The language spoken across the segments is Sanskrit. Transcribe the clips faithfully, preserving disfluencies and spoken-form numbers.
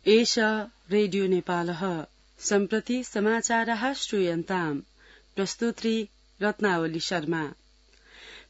एष रेडियो नेपालः सम्प्रति समाचारः श्रूयन्ताम् प्रस्तुत्री रत्नावली शर्मा।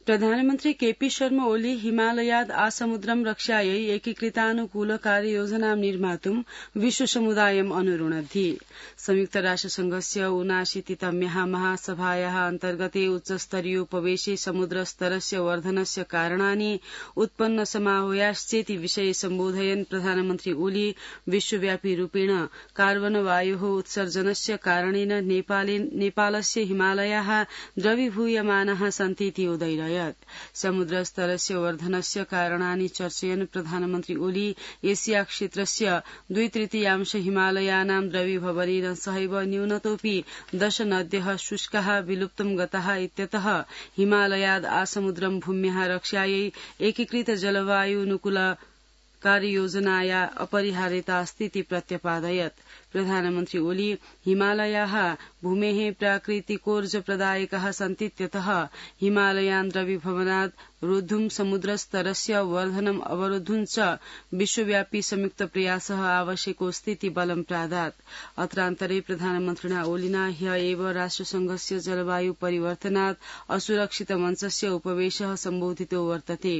प्रधानमन्त्री केपी शर्मा ओली हिमालयाद् आसमुद्रं रक्षायै एकीकृतानुकूल कार्ययोजनां निर्मातुं विश्वसमुदायम् अनुरुणद्धि। संयुक्त राष्ट्रसंघस्य ऊनाशीतितम्याः महासभायाः अन्तर्गते उच्चस्तरीय उपवेशे समुद्रस्तरस्य वर्धनस्य कारणानि उत्पन्न समाहूयाश्चेति विषये सम्बोधयन् प्रधानमन्त्री ओली विश्वव्यापी रूपेण कार्बन वायोः उत्सर्जनस्य कारणेन नेपालस्य हिमालयाः द्रवीभूयमानाः सन्तीति उदयिरयत्। समुद्रस्तरस्य वर्धनस्य कारणानि चर्चयन् प्रधानमन्त्री ओली एशिया क्षेत्रस्य द्वि तृतीयांश हिमालयानां द्रवीभवनेन सहैव न्यूनतोऽपि दश नद्यः शुष्काः विलुप्तं गताः इत्यतः हिमालयाद् आसमुद्रं भूम्याः रक्षायै एकीकृत जलवायुनुकूल कार्ययोजनाया अपरिहार्यता अस्तीति प्रत्यपादयत्। प्रधानमन्त्री ओली हिमालयाः भूमेः प्राकृतिकोर्जप्रदायकाः सन्तीत्यतः हिमालयान् द्रवीभवनात् रोद्धुं समुद्रस्तरस्य वर्धनम् अवरोद्धुं च विश्वव्यापी संयुक्त प्रयासः आवश्यकोऽस्तीति बलं प्रादात्। अत्रान्तरे प्रधानमन्त्रिणा ओलिना ह्य एव राष्ट्रसंघस्य जलवायु परिवर्तनात् असुरक्षित मञ्चस्य उपवेशः सम्बोधितो वर्तते।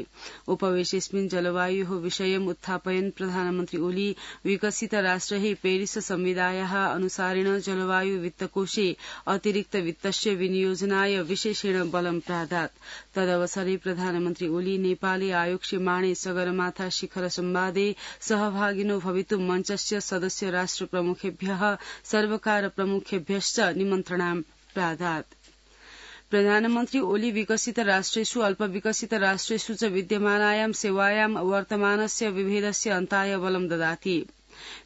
उपवेशेऽस्मिन् जलवायोः विषयम् उत्थापयन् प्रधानमन्त्री ओली विकसित राष्ट्रैः पेरिस संविदायाः अनुसारेण जलवायु वित्तकोषे अतिरिक्त वित्तस्य विनियोजनाय विशेषेण बलं प्रादात्। तदवसरे प्रधानमन्त्री ओली नेपाले आयोक्ष्यमाणे सगरमाथा शिखर संवादे सहभागिनो भवितुं मञ्चस्य सदस्य राष्ट्र प्रमुखेभ्यः सर्वकार प्रमुखेभ्यश्च निमन्त्रणां प्रादात्। प्रधानमन्त्री ओली विकसित राष्ट्रेषु अल्पविकसित राष्ट्रेषु च विद्यमानायां सेवायां वर्तमानस्य विभेदस्य अन्ताय बलं ददाति।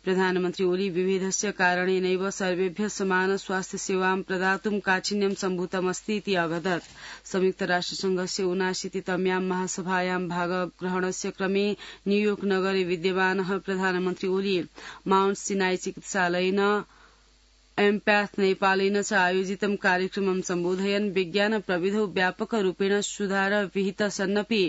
प्रधानमन्त्री ओली विभेदस्य कारणेनैव सर्वेभ्यः समान स्वास्थ्य सेवां प्रदातुं काठिन्यं सम्भूतमस्तीति अवदत्। संयुक्त राष्ट्रसंघस्य ऊनाशीतितम्यां महासभायां भागग्रहणस्य क्रमे न्यूयोर्क नगरे विद्यमानः प्रधानमन्त्री ओली माउण्ट सिनाई चिकित्सालयेन एम्पैथ नेपालेन च आयोजितं कार्यक्रमं सम्बोधयन् विज्ञान प्रविधौ व्यापक रूपेण सुधार विहित सन्नपि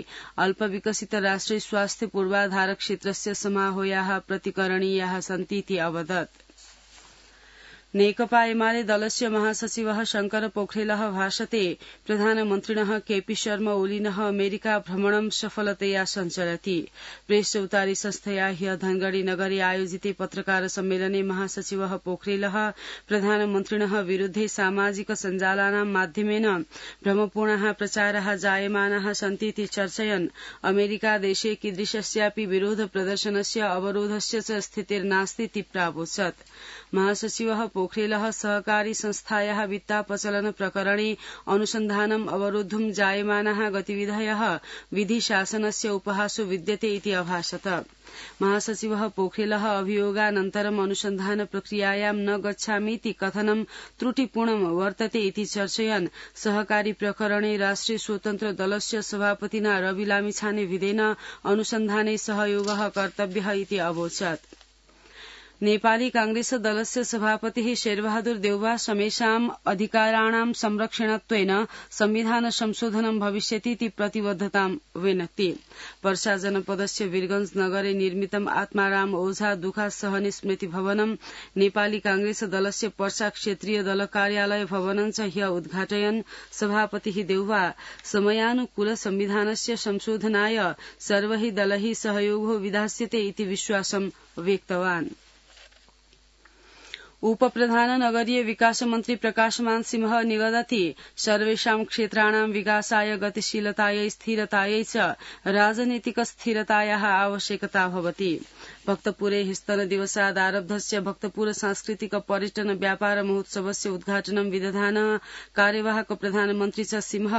अल्पविकसित राष्ट्रे स्वास्थ्य पूर्वाधार क्षेत्रस्य समाहूयाः प्रतिकरणीयाः सन्तीति अवदत्। नेकपा एमाले दलस्य महासचिवः शंकर पोखरेलः भाषते प्रधानमन्त्रिणः केपी शर्मा ओलिनः अमेरिका भ्रमणं सफलतया सञ्चलति। प्रेस चौतारी संस्थया ह्य धनगढ़ी नगरे आयोजिते पत्रकार सम्मेलने महासचिवः पोखरेलः प्रधानमन्त्रिणः विरुद्धे सामाजिक सञ्जालानां माध्यमेन भ्रमपूर्णाः प्रचाराः जायमानाः सन्तीति चर्चयन् अमेरिका देशे कीदृशस्यापि विरोध प्रदर्शनस्य अवरोधस्य च स्थितिर्नास्तीति प्रावोचत्। महासचिवः पोखरेलः सहकारी संस्थायाः वित्तापचलन प्रकरणे अनुसन्धानम् अवरोद्धुं जायमानाः गतिविधयः विधिशासनस्य उपहासो विद्यते इति अभाषत। महासचिवः पोखरेलः अभियोगानन्तरम् अनुसन्धान प्रक्रियायां न गच्छामीति कथनं त्रुटिपूर्णं वर्तते इति चर्चयन् सहकारी प्रकरणे राष्ट्रिय स्वतन्त्र दलस्य सभापतिना रवि लामिछाने विधेन अनुसन्धाने सहयोगः कर्तव्यः इति अवोचत्। नेपाली कांग्रेस दलस्य सभापतिः शेरबहादुर देउवा समेषाम् अधिकाराणां संरक्षणत्वेन संविधान संशोधनं भविष्यतीति प्रतिबद्धतां व्यनक्ति। पर्सा जनपदस्य वीरगंज नगरे निर्मितम् आत्माराम ओझा दुखा सहने स्मृति भवनं नेपाली कांग्रेस दलस्य पर्सा क्षेत्रीय दल कार्यालय भवनं च ह्य उद्घाटयन् सभापतिः देउवा समयानुकूल संविधानस्य संशोधनाय सर्वैः दलैः सहयोगो विधास्यते इति विश्वासं व्यक्तवान्। उपप्रधान नगरीय विकास मन्त्री प्रकाशमान सिंह निगदति सर्वेषां क्षेत्राणां विकासाय गतिशीलतायै स्थिरतायै च राजनीतिक स्थिरतायाः आवश्यकता भवति। भक्तपुरे हिस्तन दिवसादारब्धस्य भक्तपुर सांस्कृतिक पर्यटन व्यापार महोत्सवस्य उद्घाटनं विदधान कार्यवाहक प्रधानमन्त्री च सिंह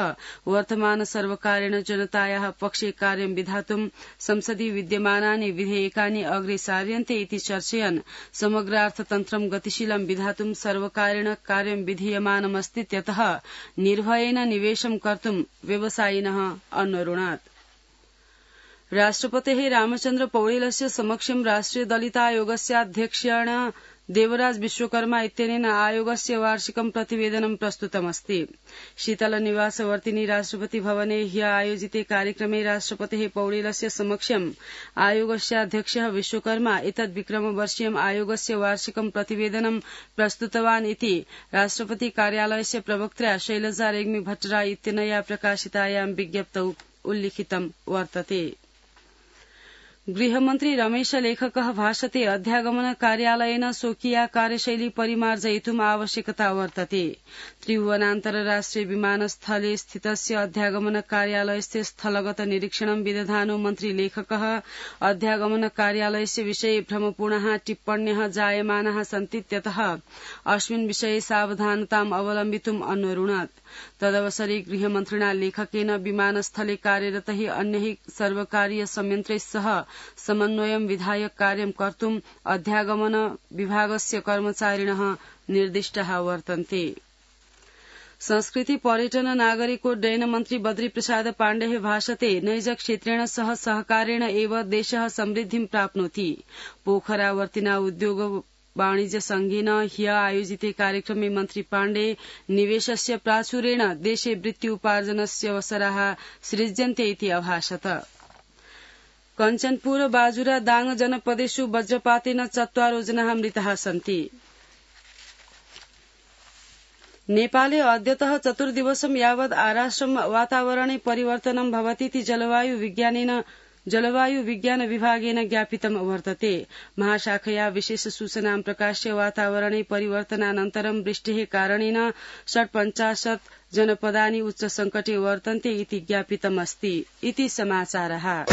वर्तमान सर्वकारेण जनतायाः पक्षे कार्यं विधातुं संसदि विद्यमानानि विधेयकानि अग्रे सार्यन्ते इति चर्चयन् समग्रार्थतन्त्रं गतिशीलं विधातुं सर्वकारेण कार्यं विधीयमानमस्तीत्यतः निर्भयेन निवेशं कर्तुं व्यवसायिनः अनुरुणात्। राष्ट्रपतेः रामचन्द्र पौडेलस्य समक्षं राष्ट्रिय दलितायोगस्य अध्यक्षेण देवराज विश्वकर्मा इत्यनेन आयोगस्य वार्षिकं प्रतिवेदनं प्रस्तुतमस्ति। शीतलनिवासवर्तिनी राष्ट्रपति भवने ह्य आयोजिते कार्यक्रमे राष्ट्रपतेः पौडेलस्य समक्षम् आयोगस्याध्यक्षः विश्वकर्मा एतद् विक्रमवर्षीयम् आयोगस्य वार्षिकं प्रतिवेदनं प्रस्तुतवान् इति राष्ट्रपति कार्यालयस्य प्रवक्त्रा शैलजा रेग्मी भट्टराय इत्यनया प्रकाशितायां विज्ञप्तौ उल्लिखितं वर्तते। गृहमन्त्री रमेश लेखकः भाषते अध्यागमन कार्यालयेन स्वकीया कार्यशैली परिमार्जयितुम् आवश्यकता वर्तते। त्रिभुवनान्तरराष्ट्रिय विमानस्थले स्थितस्य अध्यागमन कार्यालयस्य स्थलगत निरीक्षणं विदधानो मन्त्री लेखकः अध्यागमन कार्यालयस्य विषये भ्रमपूर्णाः टिप्पण्यः जायमानाः सन्तीत्यतः अस्मिन् विषये सावधानताम् अवलम्बितुम् अन्वरुणत्। तदवसरे गृहमन्त्रिणा लेखकेन विमानस्थले कार्यरतैः अन्यैः सर्वकारीय संयन्त्रैः सह समन्वयं विधाय कार्यं कर्तुम् अध्यागमन विभागस्य कर्मचारिणः निर्दिष्टाः वर्तन्ते। संस्कृति पर्यटन नागरिकोड्डयन मन्त्री बद्री प्रसाद पाण्डेः भाषते नैज क्षेत्रेण सह सहकारेण एव देशः समृद्धिं प्राप्नोति। पोखरावर्तिना उद्योग वाणिज्य संघेन ह्य आयोजिते कार्यक्रमे मन्त्री पाण्डे निवेशस्य प्राचुर्येण देशे वृत्त्युपार्जनस्य अवसराः सृज्यन्ते इति अभाषत। कञ्चनपुर बाजुरा दाङ जनपदेषु वज्रपातेन चत्वारो जनाः मृताः सन्ति। नेपाले अद्यतः चतुर्दिवसं यावत् आराष्ट्रं वातावरणे परिवर्तनं भवतीति जलवायु विज्ञानेन जलवायु विज्ञान विभागेन ज्ञापितं वर्तते। महाशाखया विशेष सूचनां प्रकाश्य वातावरणे परिवर्तनानन्तरं वृष्टेः कारणेन षट्पञ्चाशत् जनपदानि उच्च संकटे वर्तन्ते इति ज्ञापितमस्ति। इति समाचारः।